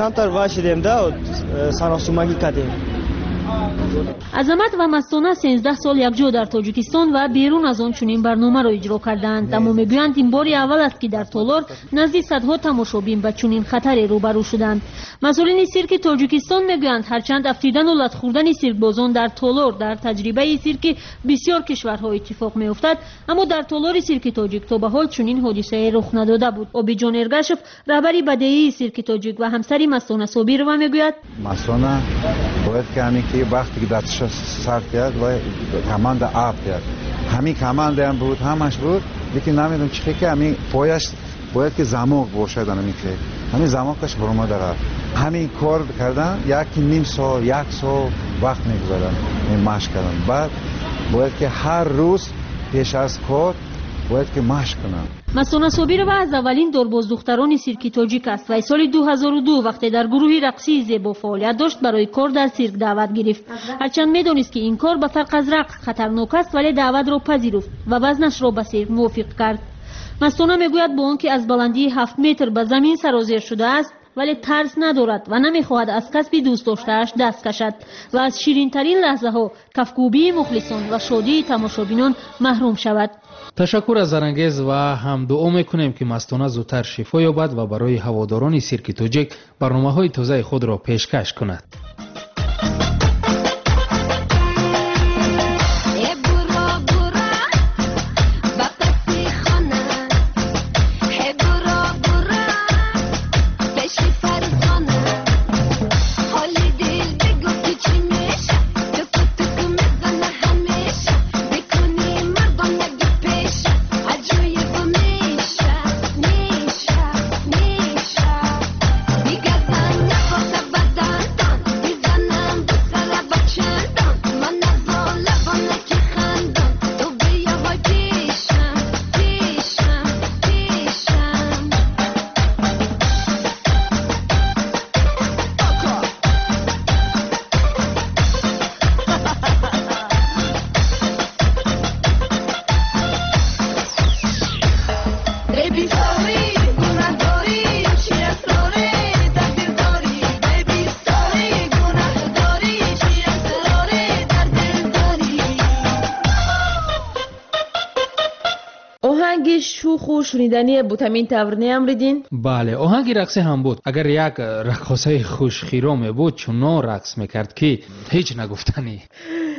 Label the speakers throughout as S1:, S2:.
S1: Камтар вашидем да, саросумагӣ кардем.
S2: Азамат ва Мастона 13 сол якҷо дар Тоҷикистон ва берун аз он чунин барномаро иҷро кардаанд. Аммо мегӯянд, ин бори аввал аст, ки дар толор назди садҳо тамошобин ба чунин хатаре рӯбарӯ шуданд. Масъулини сирки Тоҷикистон мегӯянд, ҳарчанд афтидану лат хӯрдани сиркбозон дар толор дар таҷрибаи сирки бисёр кишварҳо иттифоқ меафтад, аммо дар толори сирки тоҷик то ба ҳол чунин ҳодисае рух надода буд. Обиҷон Эргашев, раҳбари бадеии сирки тоҷик ва ҳамсари Мастона Собирова, мегӯяд:
S3: Мастона бояд ки ҳамин ки вақте ки дасташа сар кият ва команда афтият, ҳамин командаам буд, ҳамаш буд, лекин намедонам чӣ ки ҳамин пояш бояд ки замок бошад, ҳамин ки ҳамин замокаш баромада рафт. Ҳамин кор кардан 1.5 сол, як сол вақт мегузарад машқ кардан. Баъд бояд ки ҳар рӯз пеш аз кор бояд ки машқ кунам.
S2: Мастона Собирова аз аввалин дорбоздухтарони сирки тоҷик аст ва соли 2002 вақте дар гурӯҳи рақсии зебо фаъолият дошт, барои кор дар сирк даъват гирифт. Ҳарчанд медонист, ки ин кор ба фарқ аз рақс хатарнок аст, вале даъватро пазируфт ва вазнашро ба сирк мувофиқ кард. Мастона мегӯяд, бо он ки аз баландии 7 метр ба замин сарозер шудааст, вале тарс надорад ва намехоҳад аз касби дӯстдоштааш даст кашад ва аз ширинтарин лаҳзаҳо, кафкӯбии мухлисон ва шодии тамошобинон маҳрум шавад.
S4: Ташаккур аз Зарангез ва ҳам дуо мекунем, ки Мастона зудтар шифо ёбад ва барои ҳаводорони сирки тоҷик барномаҳои тозаи худро пешкаш кунад.
S5: Оҳанги шуху шунидание буд, ҳамин тавр, не, Амриддин?
S4: Бале, оҳанги рақсӣ ҳам буд. Агар як раққосаи хушхироме буд, чунон рақс мекард, ки ҳеҷ нагуфтанӣ.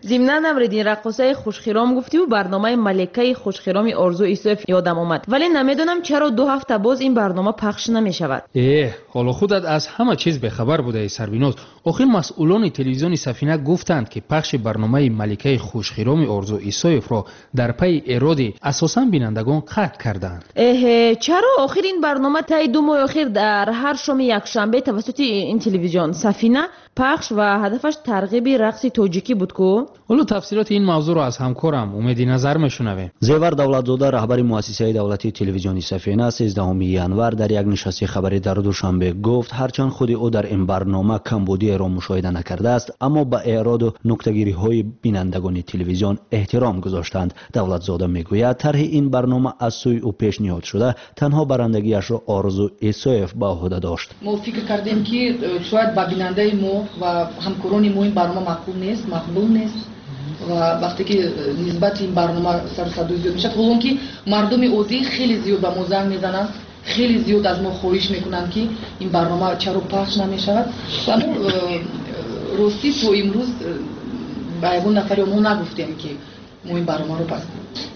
S5: Зимнан, Амриддин, раққосаи хушхиром гуфтиву барномаи Маликаи хушхироми Орзу Исоев ёдам омад, вале намедонам, чаро 2 ҳафта боз ин барнома пахш намешавад.
S4: Эҳ, ҳоло худат аз ҳама чиз бехабар будаи, Сарбиноз. Охир масъулони телевизиони Сафина гуфтанд, ки пахши барномаи Маликаи хушхироми Орзу Исоевро дар пайи эроди асосан бинандагон қатъ карданд.
S5: Эҳе, чаро? Охир ин барнома таи 2 моҳи охир дар ҳар шоми якшанбе тавассути ин телевизион Сафина пахш ва ҳадафаш тарғиби рақси тоҷикӣ буд ку.
S4: Ҳоло тафсилоти ин мавзӯъро аз ҳамкорам Умеди Назар мешунавем.
S6: Зевар Давлатзода, раҳбари муассисаи давлатии телевизиони Сафина, 13 январ дар як нишасти хабарӣ дар Душанбе гуфт, ҳарчанд худи ӯ дар ин барнома камбудиеро мушоҳида накардааст, аммо ба эъроду нуктагириҳои бинандагони телевизион эҳтиром гузоштанд. Давлатзода мегӯяд, тарҳи ин барнома аз сӯи ӯ пешниҳод шуда, танҳо барандагиашро Орзу Исоев ба ӯҳда дошт.
S7: Мо фикр кардем, ки шояд ба бинандаи мо ва ҳамкорони мо ин барнома маъқул нест, мақбул нест, ва вақте ки нисбати ин барнома сару садои зиёд мешавад, ҳолон ки мардуми оддӣ хеле зиёд ба мо занг мезананд, хеле зиёд аз мо хоҳиш мекунанд, ки ин барнома чаро пахш намешавад. Ва мо ростӣ то имрӯз ба ягон нафари мо нагуфтем, ки мо ин барномаро пас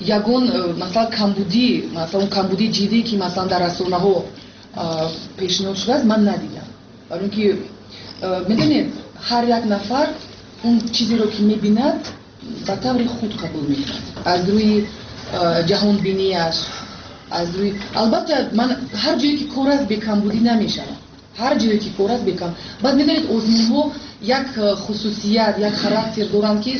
S7: ягон масалан камбудӣ, масалан камбудии ҷиддӣ, ки масалан дар расонаҳо пешниҳод шудааст, ман надидам. Барои ин ки медонед, ҳар як нафар он чизеро, ки мебинад, ба таври худ қабул мекунад, аз рӯи ҷаҳонбинияш, аз рӯи, албатта, ман ҳар ҷое ки кор аст, бекамбудӣ намешавад, ҳар ҷое ки кор аст, бекам. Баъд медонед, озмунҳо як хусусият, як характер доранд, ки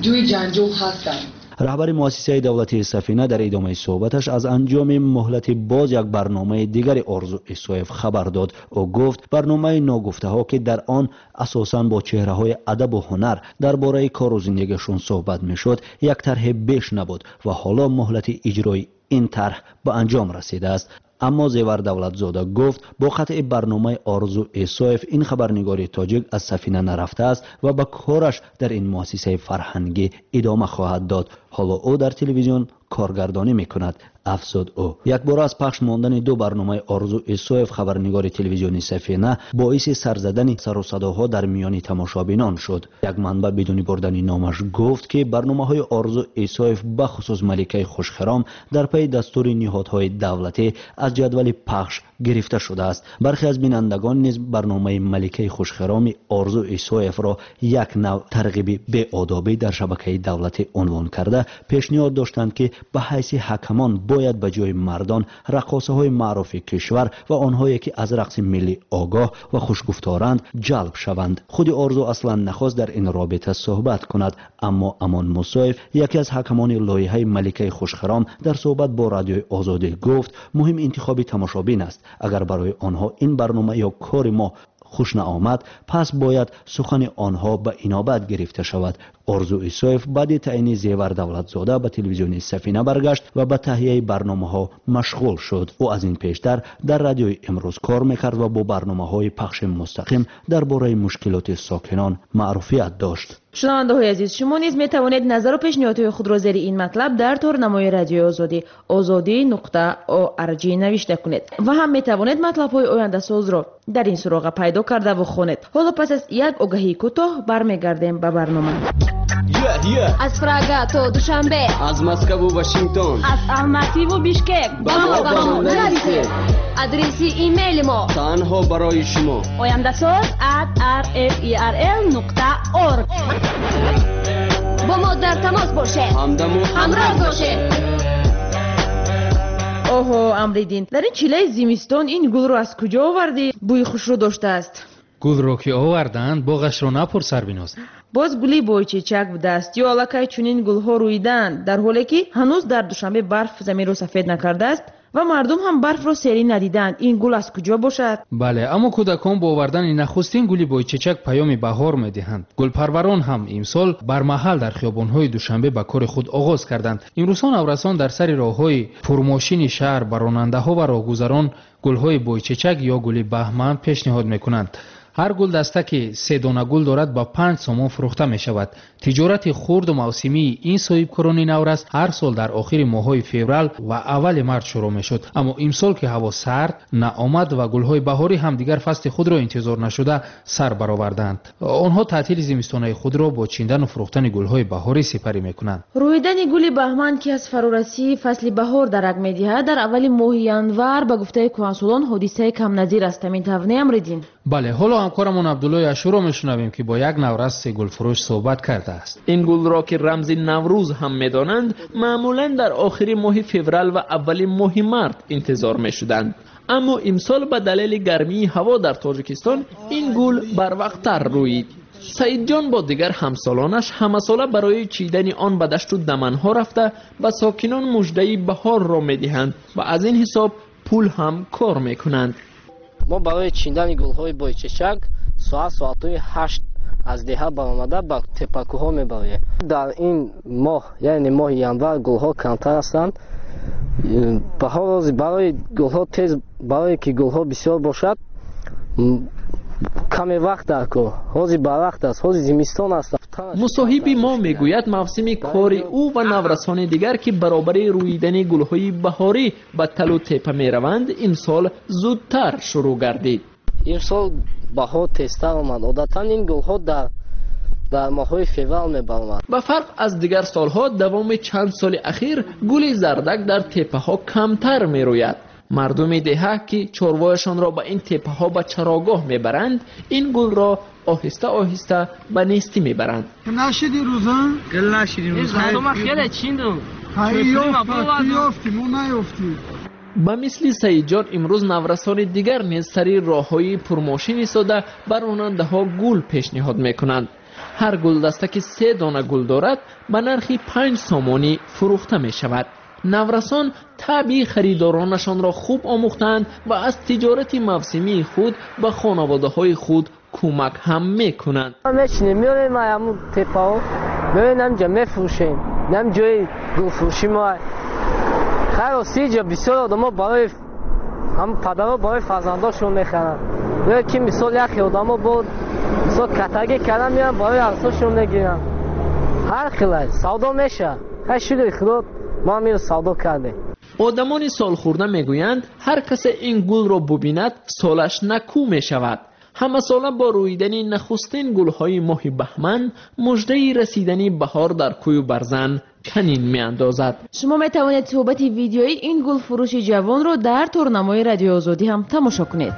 S7: ҷои ҷанҷол ҳастанд.
S6: Раҳбари муассисаи давлатии Сафина дар идомаи суҳбаташ аз анҷоми муҳлати боз як барномаи дигари Орзу Исоев хабар дод. Ӯ гуфт, барномаи ногуфтаҳо, ки дар он асосан бо чеҳраҳои адабу ҳунар дар бораи кору зиндагиашон суҳбат мешуд, як тарҳи беш набуд ва ҳоло муҳлати иҷрои ин тарҳ ба анҷом расидааст. Аммо Зевар Давлатзода гуфт, бо қатъи барномаи Орзу Исоев ин хабарнигори тоҷик аз Сафина нарафтааст ва ба кораш дар ин муассисаи фарҳангӣ идома хоҳад дод. Ҳоло ӯ дар телевизион коргардонӣ мекунад, афзуд ӯ. Якбора аз пахш мондани ду барномаи Орзу Исоев, хабарнигори телевизиони Сафина, боиси сар задани сару садоҳо дар миёни тамошобинон шуд. Як манбаъ бидуни бурдани номаш гуфт, ки барномаҳои Орзу Исоев, бахусус Маликаи хушхиром, дар пайи дастури ниҳодҳои давлатӣ аз ҷадвали пахш гирифта шудааст. Бархе аз бинандагон низ барномаи Маликаи хушхироми Орзу Исоевро як нав тарғиби беодобӣ дар шабакаи давлатӣ унвон карда пешниҳод доштанд, ки ба ҳайси ҳакамон бояд ба ҷои мардон раққосаҳои маъруфи кишвар ва онҳое ки аз рақси миллӣ огоҳ ва хушгуфторанд ҷалб шаванд. Худи Орзу аслан нахост дар ин робита суҳбат кунад, аммо Амон Мусоев, яке аз ҳакамони лоиҳаи Маликаи хушхиром, дар суҳбат бо Радиои Озодӣ гуфт, муҳим интихоби тамошобин аст. Агар барои онҳо ин барнома ё кори мо хуш наомад, пас бояд сухани онҳо ба инобат гирифта шавад. Орзу Исоев баъди таъйини Зевар Давлатзода ба телевизиони Сафина баргашт ва ба таҳияи барномаҳо машғул шуд. Ӯ аз ин пештар дар Радиои Имрӯз кор мекард ва бо барномаҳои пахши мустақим дар бораи мушкилоти сокинон маъруфият дошт.
S5: Шунавандаҳои азиз, шумо низ метавонед назару пешниҳодҳои худро зери ин матлаб дар торнамои Радиои Озодӣ ozodi.org навишта кунед ва ҳам метавонед матлабҳои ояндасозро дар ин суроға пайдо кардаву хонед. Ҳоло пас аз як огаҳии кӯтоҳ бармегардем ба барнома.
S8: Аз Прага то Душанбе,
S9: аз Москву Вашингтон,
S8: аз Алмативу Бишкек ба мо нависед. Адреси имейли мо
S9: танҳо барои шумо:
S8: ояндаsoz@rferl.org. Бо мо дар тамос бошед,
S9: ҳамдаму
S8: ҳамроз бошед.
S5: Оҳо, Амриддин, дар ин чилаи зимистон ин гулро аз куҷо овардӣ? Бӯи хушрӯ доштааст.
S4: Гулро ки оварданд, боғашро напурс, Сарбиноз.
S5: Боз гули бойчечак будааст ё аллакай чунин гулҳо рӯидаанд, дар ҳоле ки ҳанӯз дар Душанбе барф заминро сафед накардааст ва мардум ҳам барфро серӣ надидаанд. Ин гул аз куҷо бошад?
S4: Бале, аммо кӯдакон бо овардани нахустин гули бойчечак паёми баҳор медиҳанд. Гулпарварон ҳам имсол бармаҳал дар хиёбонҳои Душанбе ба кори худ оғоз карданд. Имрӯзҳо наврасон дар сари роҳҳои пурмошини шаҳр ба ронандаҳо ва роҳгузарон гулҳои бойчечак ё гули баҳман пешниҳод мекунанд. Ҳар гулдаста ки се дона гул дорад ба 5 сомон фурӯхта мешавад. Тиҷорати хурду мавсимии ин соҳибкорони наврас ҳар сол дар охири моҳҳои феврал ва аввали март шурӯъ мешуд. Аммо имсол ки ҳаво сард наомад ва гулҳои баҳорӣ ҳам дигар фасли худро интизор нашуда сар бароварданд. Онҳо таътили зимистонаи худро бо чиндану фурӯхтани гулҳои баҳорӣ сипарӣ мекунанд.
S5: Рӯидани гули баҳман, ки аз фарорасии фасли баҳор дарак медиҳад, дар аввали моҳи январ ба гуфтаи кӯҳансолон ҳодисаи камназир аст. Ҳамин тавр не, Амриддин?
S4: Бале, ҳоло ҳамкорамон Абдуллои Ашуро мешунавем, ки бо як навраси гулфурӯш суҳбат кардааст.
S10: Ин гулро ки рамзи Наврӯз ҳам медонанд, маъмулан дар охири моҳи феврал ва аввали моҳи март интизор мешуданд. Аммо имсол ба далели гармии ҳаво дар Тоҷикистон ин гул барвақттар рӯид. Саидҷон бо дигар ҳамсолонаш ҳамасола барои чидани он ба дашту даманҳо рафта ба сокинон муждаи баҳорро медиҳанд ва аз ин ҳисоб пул ҳам кор мекунанд.
S11: Мо барои чидани гулҳои бойчечак соатҳои 8 аз деҳа баромада ба теппакӯҳҳо мебароем. Дар ин моҳ, яъне моҳи январ, гулҳо камтар ҳастанд. Баҳор барои гулҳо тез, барое ки гулҳо бисёр бошад, каме вақт дар кор. Ҳозир барвақт аст, ҳозир зимистон аст.
S10: Мусоҳиби мо мегӯяд, мавсими кори ӯ ва наврасони дигар, ки баробари рӯидани гулҳои баҳорӣ ба талу тепа мераванд, имсол зудтар шурӯъ гардид.
S11: Имсол баҳор тезтар омад. Одатан ин гулҳо дар моҳҳои феврал мебаромад.
S10: Ба фарқ аз дигар солҳо, давоми чанд соли ахир гули зардак дар теппаҳо камтар мерӯяд. Мардуми деҳа, ки чорвояшонро ба ин теппаҳо ба чарогоҳ мебаранд, ин гулро оҳиста оҳиста ба нестӣ мебаранд.
S12: Нашиди рӯза?
S1: Гул нашиди рӯза. Хеле чиндум.
S12: Мо наёфтем.
S10: Ба мисли Саидҷон имрӯз наврасони дигар низ сари роҳҳои пурмошин истода ба ронандаҳо гул пешниҳод мекунанд. Ҳар гулдаста ки се дона гул дорад ба нархи 5 сомонӣ фурӯхта мешавад. Наврасон табъи харидоронашонро хуб омӯхтаанд ва аз тиҷорати мавсимии худ ба хонаводаҳои худ кӯмак ҳам мекунанд.
S11: Мечинем, меорем ҳамун теппаҳо, меорем ҳаминҷа мефурӯшем. Ҳамин ҷои гулфурӯши мо. Хайр, рости ҷо бисёр одамо барои Ҳам падаро барои фарзандошон мехаранд. Ё ки мисол яхе одамо бо мисол катагӣ кардан меянд, барои арсошон мегиранд. Ҳар хелай савдо мешавад. Хай, шукри Худо, мо ҳам инро савдо кардем.
S10: Одамони солхӯрда мегӯянд, ҳар касе ин гулро бубинад, солаш накӯ мешавад. Ҳамасола бо рӯидани нахустин гулҳои моҳи баҳман муждаи расидани баҳор дар кӯю барзан чанин меандозад.
S5: Шумо метавонед суҳбати видеои ин гулфурӯши ҷавонро дар торнамои Радиои Озодӣ ҳам тамошо кунед.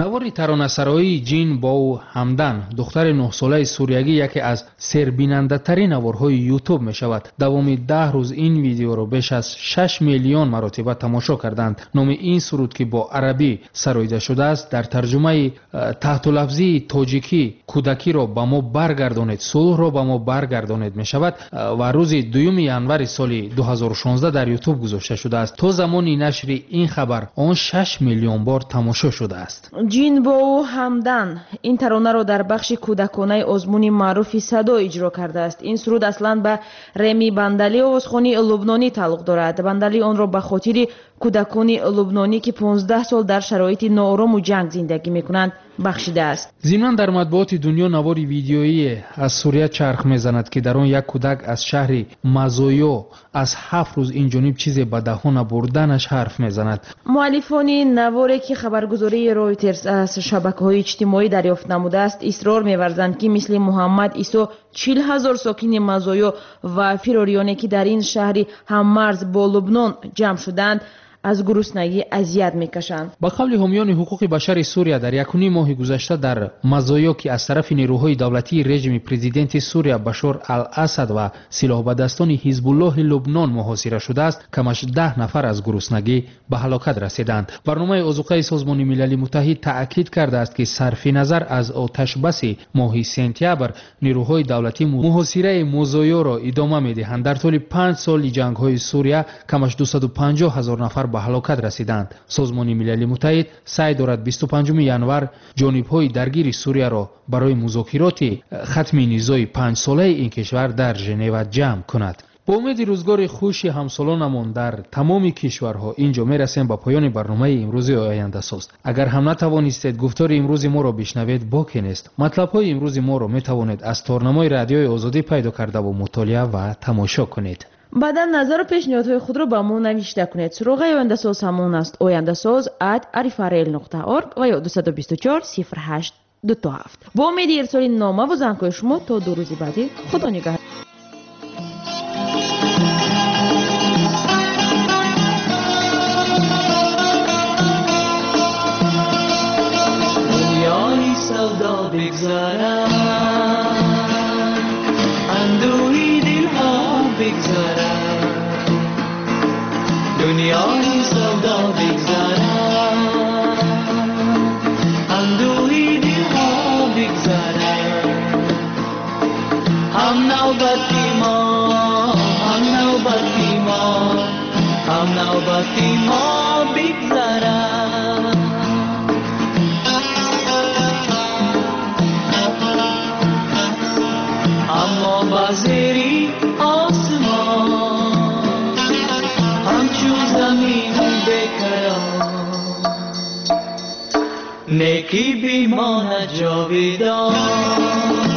S4: Навори таронасароии Ҷин Боу Ҳамдан, духтари 9-солаи суриягӣ, яке аз сербинандатарин наворҳои Ютуб мешавад. Давоми 10 рӯз ин видеоро беш аз 6 миллион маротиба тамошо карданд. Номи ин суруд, ки бо арабӣ сароида шудааст, дар тарҷумаи таҳтулафзии тоҷикӣ «Кӯдакиро ба мо баргардонед, сулҳро ба мо баргардонед» мешавад ва рӯзи 2 январи соли 2016 дар Ютуб гузошта шудааст. То замони нашри ин хабар он 6 миллион бор тамошо шудааст.
S5: Ҷин Боу Ҳамдан ин таронаро дар бахши кӯдаконаи озмуни маъруфи Садо иҷро кардааст. Ин суруд аслан ба Реми Бандали, овозхони лубнонӣ, тааллуқ дорад. Бандали онро ба хотири кӯдакони лубнонӣ, ки 15 сол дар шароити ноорому ҷанг зиндагӣ мекунанд, бахшидааст.
S4: Зимнан дар матбуоти дунё навори видеоие аз Сурия чарх мезанад, ки дар он як кӯдак аз шаҳри Мазоё аз 7 рӯз ин ҷониб чизе ба даҳона бурданаш ҳарф мезанад.
S5: Муаллифони наворе, ки хабаргузории Ройтерс аз шабакаҳои иҷтимоӣ дарёфт намудааст, исрор меварзанд, ки мисли Муҳаммад Исо 40 000 сокини Мазоё ва фирорионе, ки дар ин шаҳри ҳаммарз бо Лубнон ҷамъ шудаанд, аз гуруснагӣ азият мекашанд.
S4: Ба қавли ҳомиёни ҳуқуқи башари Сурия, дар якуним моҳи гузашта дар Мазоё, ки аз тарафи нерӯҳои давлатии режими президенти Сурия Башор ал-Асад ва силоҳбадастони Ҳизбуллоҳи Лубнон муҳосира шудааст, камаш 10 нафар аз гуруснагӣ ба ҳалокат расиданд. Барномаи озуқаи Созмони Милали Муттаҳид таъкид кардааст, ки сарфи назар аз оташбаси моҳи сентябр нерӯҳои давлатӣ муҳосираи Мозоёро идома медиҳанд. Дар тӯли 5 соли ҷангҳои Сурия камаш 250 ҳазор нафар ба ҳалокат расиданд. Созмони Милали Муттаҳид саъй дорад 25 январ ҷонибҳои даргири Сурияро барои музокироти хатми низои 5-солаи ин кишвар дар Женева ҷамъ кунад. Бо умеди рӯзгори хуши ҳамсолонамон дар тамоми кишварҳо ин ҷо мерасем ба поёни барномаи имрӯзи Ояндасоз. Агар ҳам натавонистед гуфтори имрӯзи моро бишнавед, боке нест. Матлабҳои имрӯзи моро метавонед аз торнамои Радиои Озодӣ пайдо кардаву мутолиа ва тамошо кунед.
S5: Баъдан назару пешниҳодҳои худро ба мо навишта кунед. Суроғаи Ояндасоз ҳамон аст: ояндасоз@rfrl.org ва ё 224 08 27. Бо умеди ирсоли номаву зангҳои шумо то 2 рӯзи баъдӣ, Худо нигаҳ.
S13: Дунёи савдо бигзарад, андӯҳи дилҳо бигзарад. Дунёи савдо бигзарад, андӯҳи дилҳо бигзарад. Ҳам навбати мо, ҳам навбати мо, ҳам навбати мо бигзарад. Аммо ба зери осмон ҳамчун замини бекарон некӣ бимонад ҷовидон.